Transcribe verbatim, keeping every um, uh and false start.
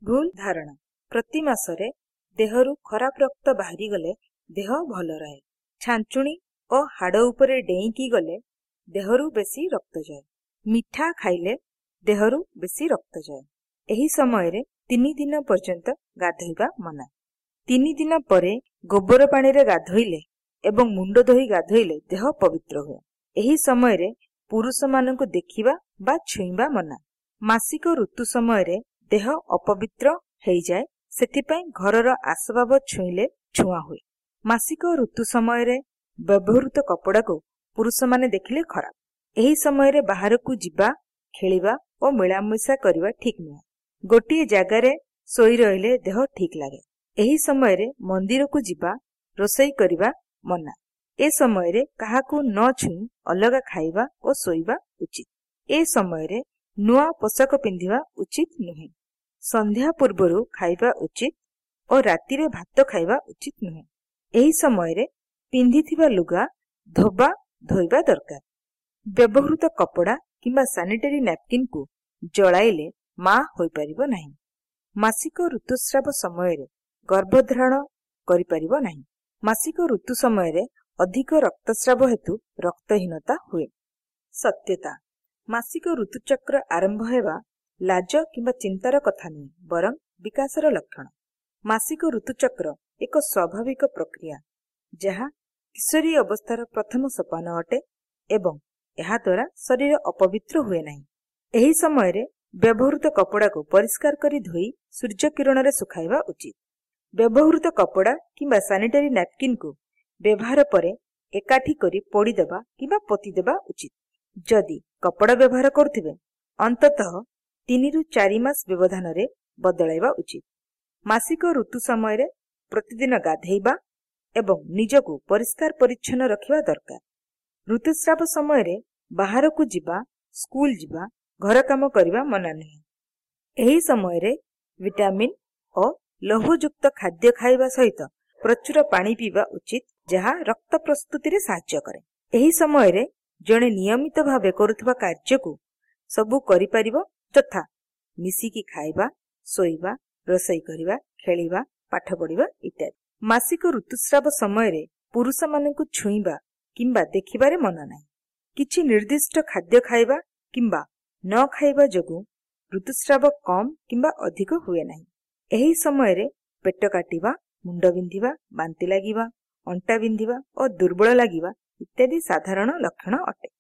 ଭୁଲ ଧାରଣା ପ୍ରତି ମାସରେ ଦେହରୁ ଖରାପ ରକ୍ତ ବାହାରିଗଲେ ଦେହ ଭଲ ରହେ। ଛାଞ୍ଚୁଣି ଓ ହାଡ଼ ଉପରେ ଡେଇଁକି ଗଲେ ଦେହରୁ ବେଶୀ ରକ୍ତ ଯାଏ। ମିଠା ଖାଇଲେ ଦେହରୁ ବେଶୀ ରକ୍ତ ଯାଏ। ଏହି ସମୟରେ ତିନି ଦିନ ପର୍ଯ୍ୟନ୍ତ ଗାଧୋଇବା ମନା। ତିନି ଦିନ ପରେ ଗୋବର ପାଣିରେ ଗାଧୋଇଲେ ଏବଂ ମୁଣ୍ଡ ଧୋଇ ଗାଧୋଇଲେ ଦେହ ପବିତ୍ର ହୁଏ। ଏହି ସମୟରେ ପୁରୁଷମାନଙ୍କୁ ଦେଖିବା ବା ଛୁଇଁବା ମନା। ମାସିକ ଋତୁ ସମୟରେ ଦେହ ଅପବିତ୍ର ହେଇଯାଏ, ସେଥିପାଇଁ ଘରର ଆସବାବ ଛୁଇଁଲେ ଛୁଆଁ ହୁଏ। ମାସିକ ଋତୁ ସମୟରେ ବ୍ୟବହୃତ କପଡ଼ାକୁ ପୁରୁଷମାନେ ଦେଖିଲେ ଖରାପ। ଏହି ସମୟରେ ବାହାରକୁ ଯିବା, ଖେଳିବା ଓ ମିଳାମିଶା କରିବା ଠିକ୍ ନୁହେଁ। ଗୋଟିଏ ଜାଗାରେ ଶୋଇ ରହିଲେ ଦେହ ଠିକ୍ ଲାଗେ। ଏହି ସମୟରେ ମନ୍ଦିରକୁ ଯିବା, ରୋଷେଇ କରିବା ମନା। ଏ ସମୟରେ କାହାକୁ ନ ଛୁଇଁ ଅଲଗା ଖାଇବା ଓ ଶୋଇବା ଉଚିତ। ଏ ସମୟରେ ନୂଆ ପୋଷାକ ପିନ୍ଧିବା ଉଚିତ ନୁହେଁ। ସନ୍ଧ୍ୟା ପୂର୍ବରୁ ଖାଇବା ଉଚିତ ଓ ରାତିରେ ଭାତ ଖାଇବା ଉଚିତ ନୁହେଁ। ଏହି ସମୟରେ ପିନ୍ଧିଥିବା ଲୁଗା ଧୋବା ଧୋଇବା ଦରକାର। ବ୍ୟବହୃତ କପଡ଼ା କିମ୍ବା ସାନିଟାରୀ ନାପକିନକୁ ଜଳାଇଲେ ମା ହୋଇପାରିବ ନାହିଁ। ମାସିକ ଋତୁସ୍ରାବ ସମୟରେ ଗର୍ଭଧାରଣ କରିପାରିବ ନାହିଁ। ମାସିକ ଋତୁ ସମୟରେ ଅଧିକ ରକ୍ତସ୍ରାବ ହେତୁ ରକ୍ତହୀନତା ହୁଏ। ସତ୍ୟତା ମାସିକ ଋତୁଚକ୍ର ଆରମ୍ଭ ହେବା ଲାଜ କିମ୍ବା ଚିନ୍ତାର କଥା ନୁହେଁ, ବରଂ ବିକାଶର ଲକ୍ଷଣ। ମାସିକ ଋତୁଚକ୍ର ଏକ ସ୍ୱାଭାବିକ ପ୍ରକ୍ରିୟା, ଯାହା କିଶୋରୀ ଅବସ୍ଥାର ପ୍ରଥମ ସୋପାନ ଅଟେ ଏବଂ ଏହାଦ୍ୱାରା ଶରୀର ଅପବିତ୍ର ହୁଏ ନାହିଁ। ଏହି ସମୟରେ ବ୍ୟବହୃତ କପଡ଼ାକୁ ପରିଷ୍କାର କରି ଧୋଇ ସୂର୍ଯ୍ୟକିରଣରେ ଶୁଖାଇବା ଉଚିତ। ବ୍ୟବହୃତ କପଡ଼ା କିମ୍ବା ସାନିଟାରୀ ନାପକିନକୁ ବ୍ୟବହାର ପରେ ଏକାଠି କରି ପୋଡ଼ିଦେବା କିମ୍ବା ପୋତିଦେବା ଉଚିତ। ଯଦି କପଡ଼ା ବ୍ୟବହାର କରୁଥିବେ, ଅନ୍ତତଃ ତିନିରୁ ଚାରି ମାସ ବ୍ୟବଧାନରେ ବଦଳାଇବା ଉଚିତ। ମାସିକ ଋତୁ ସମୟରେ ପ୍ରତିଦିନ ଗାଧେଇବା ଏବଂ ନିଜକୁ ପରିଷ୍କାର ପରିଚ୍ଛନ୍ନ ରଖିବା ଦରକାର। ଋତୁସ୍ରାବ ସମୟରେ ବାହାରକୁ ଯିବା, ସ୍କୁଲ ଯିବା, ଘର କାମ କରିବା ମନା ନୁହେଁ। ଏହି ସମୟରେ ଭିଟାମିନ୍ ଓ ଲୌହଯୁକ୍ତ ଖାଦ୍ୟ ଖାଇବା ସହିତ ପ୍ରଚୁର ପାଣି ପିଇବା ଉଚିତ, ଯାହା ରକ୍ତ ପ୍ରସ୍ତୁତିରେ ସାହାଯ୍ୟ କରେ। ଏହି ସମୟରେ ଜଣେ ନିୟମିତ ଭାବେ କରୁଥିବା କାର୍ଯ୍ୟକୁ ସବୁ କରିପାରିବ, ଯଥା ମିଶିକି ଖାଇବା, ଶୋଇବା, ରୋଷେଇ କରିବା, ଖେଳିବା, ପାଠ ପଢ଼ିବା ଇତ୍ୟାଦି। ମାସିକ ଋତୁସ୍ରାବ ସମୟରେ ପୁରୁଷମାନଙ୍କୁ ଛୁଇଁବା କିମ୍ବା ଦେଖିବାରେ ମନା ନାହିଁ। କିଛି ନିର୍ଦ୍ଦିଷ୍ଟ ଖାଦ୍ୟ ଖାଇବା କିମ୍ବା ନ ଖାଇବା ଯୋଗୁଁ ଋତୁସ୍ରାବ କମ୍ କିମ୍ବା ଅଧିକ ହୁଏ ନାହିଁ। ଏହି ସମୟରେ ପେଟ କାଟିବା, ମୁଣ୍ଡ ବିନ୍ଧିବା, ବାନ୍ତି ଲାଗିବା, ଅଣ୍ଟା ବିନ୍ଧିବା ଓ ଦୁର୍ବଳ ଲାଗିବା ଇତ୍ୟାଦି ସାଧାରଣ ଲକ୍ଷଣ ଅଟେ।